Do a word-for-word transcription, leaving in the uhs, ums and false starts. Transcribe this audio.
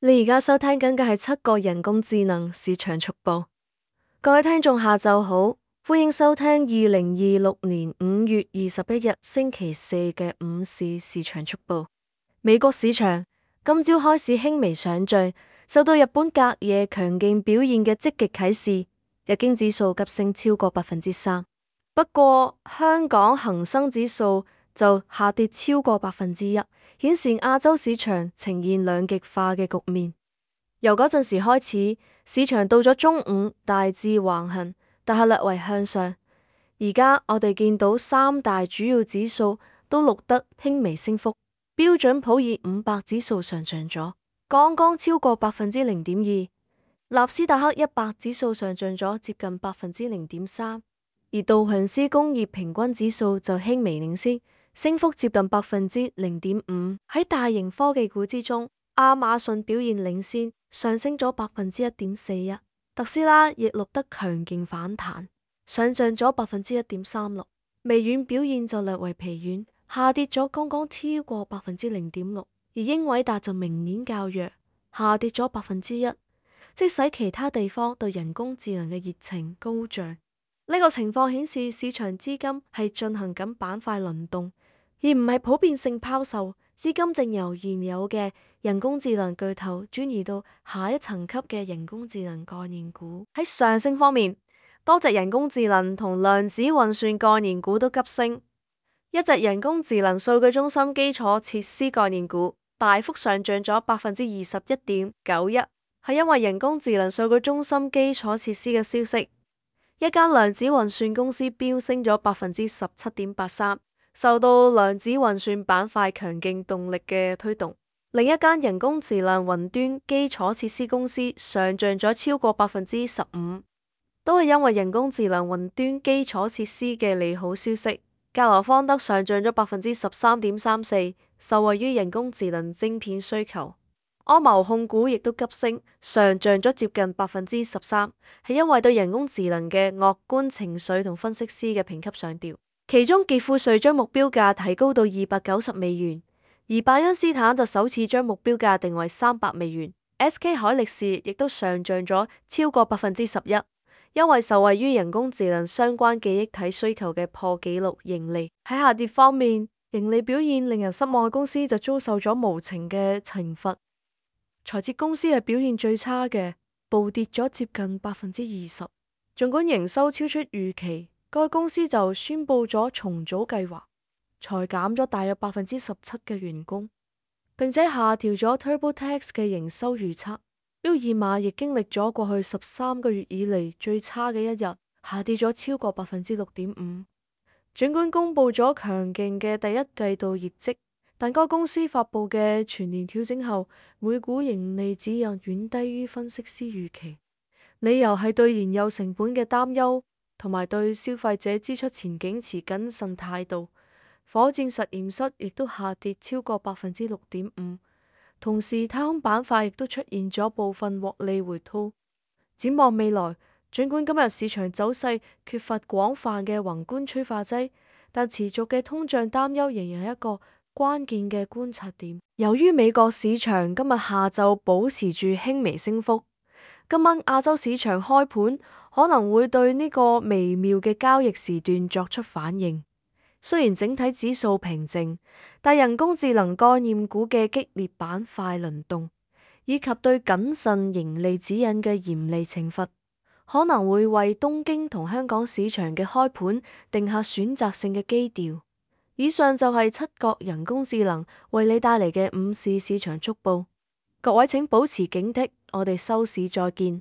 你而家收聽緊嘅係七個人工智能市場速報。各位聽眾下晝好，歡迎收聽二零二六年五月二十一日星期四嘅午市市場速報。美國市場今朝開市輕微上漲，受到日本隔夜強勁表現嘅積極啟示，日經指數急升超過百分之三。不過香港恒生指數就下跌超過百分之一，顯示亞洲市場呈現兩極化嘅局面。由嗰陣時開始，市場到咗中午大致橫行，但係略為向上。而家我哋見到三大主要指數都錄得輕微升幅，標準普爾五百指數上漲咗，剛剛超過百分之零點二；納斯達克一百指數上漲咗接近百分之零點三。而道瓊斯工業平均指數就輕微領先，升幅接近百分之零點五。喺大型科技股之中，亞馬遜表現領先，上升咗百分之一點四一。特斯拉亦錄得強勁反彈，上漲咗百分之一點三六。微軟表現就略為疲軟，下跌咗剛剛超過百分之零點六。而英偉達就明顯較弱，下跌咗百分之一。即使其他地方對人工智能嘅熱情高漲。呢個情況顯示市場資金係進行緊板塊輪動，而唔係普遍性拋售。資金正由現有嘅人工智能巨頭轉移到下一層級嘅人工智能概念股。喺上升方面，多隻人工智能同量子運算概念股都急升。一隻人工智能數據中心基礎設施概念股大幅上漲咗百分之二十一點九一，係因為人工智能數據中心基礎設施嘅消息。一間量子運算公司飆升咗百分之十七點八三，受到量子運算板塊強勁動力嘅推動。另一間人工智能雲端基礎設施公司上漲咗超過百分之十五，都係因為人工智能雲端基礎設施嘅利好消息。格羅方德上漲咗百分之十三點三四，受惠於人工智能晶片需求。安謀控股亦都急升，上漲咗接近百分之十三，係因為對人工智能嘅樂觀情緒同分析師嘅評級上調。其中傑富瑞將目標價提高到二百九十美元，而拜恩斯坦就首次將目標價定為三百美元。S K 海力士亦都上漲咗超過百分之十一，因為受惠於人工智能相關記憶體需求嘅破紀錄盈利。喺下跌方面，盈利表現令人失望嘅公司就遭受咗無情嘅懲罰。財捷公司係表現最差嘅，暴跌咗接近百分之二十。儘管營收超出預期，該公司就宣布咗重組計劃，裁減咗大約百分之十七嘅員工，並且下調咗 TurboTax 嘅營收預測。沃爾瑪亦經歷咗過去十三個月以嚟最差嘅一日，下跌咗超過百分之六點五。儘管公布咗強勁嘅第一季度業績，但該公司發佈嘅全年調整後，每股盈利指引遠低於分析師預期，理由係對燃油成本嘅擔憂，同埋對消費者支出前景持謹慎態度。火箭實驗室亦都下跌超過百分之六點五，同時太空板塊亦都出現咗部分獲利回吐。展望未來，儘管今日市場走勢缺乏廣泛嘅宏觀催化劑，但持續嘅通脹擔憂仍然係一個關鍵嘅觀察點。由於美國市場今日下晝保持住輕微升幅，今晚亞洲市場開盤可能會對呢個微妙嘅交易時段作出反應。雖然整體指數平靜，但人工智能概念股嘅激烈板塊輪動，以及對謹慎盈利指引嘅嚴厲懲罰，可能會為東京同香港市場嘅開盤定下選擇性嘅基調。以上就係七國人工智能為你帶嚟嘅午市市場速報，各位請保持警惕，我哋收市再見。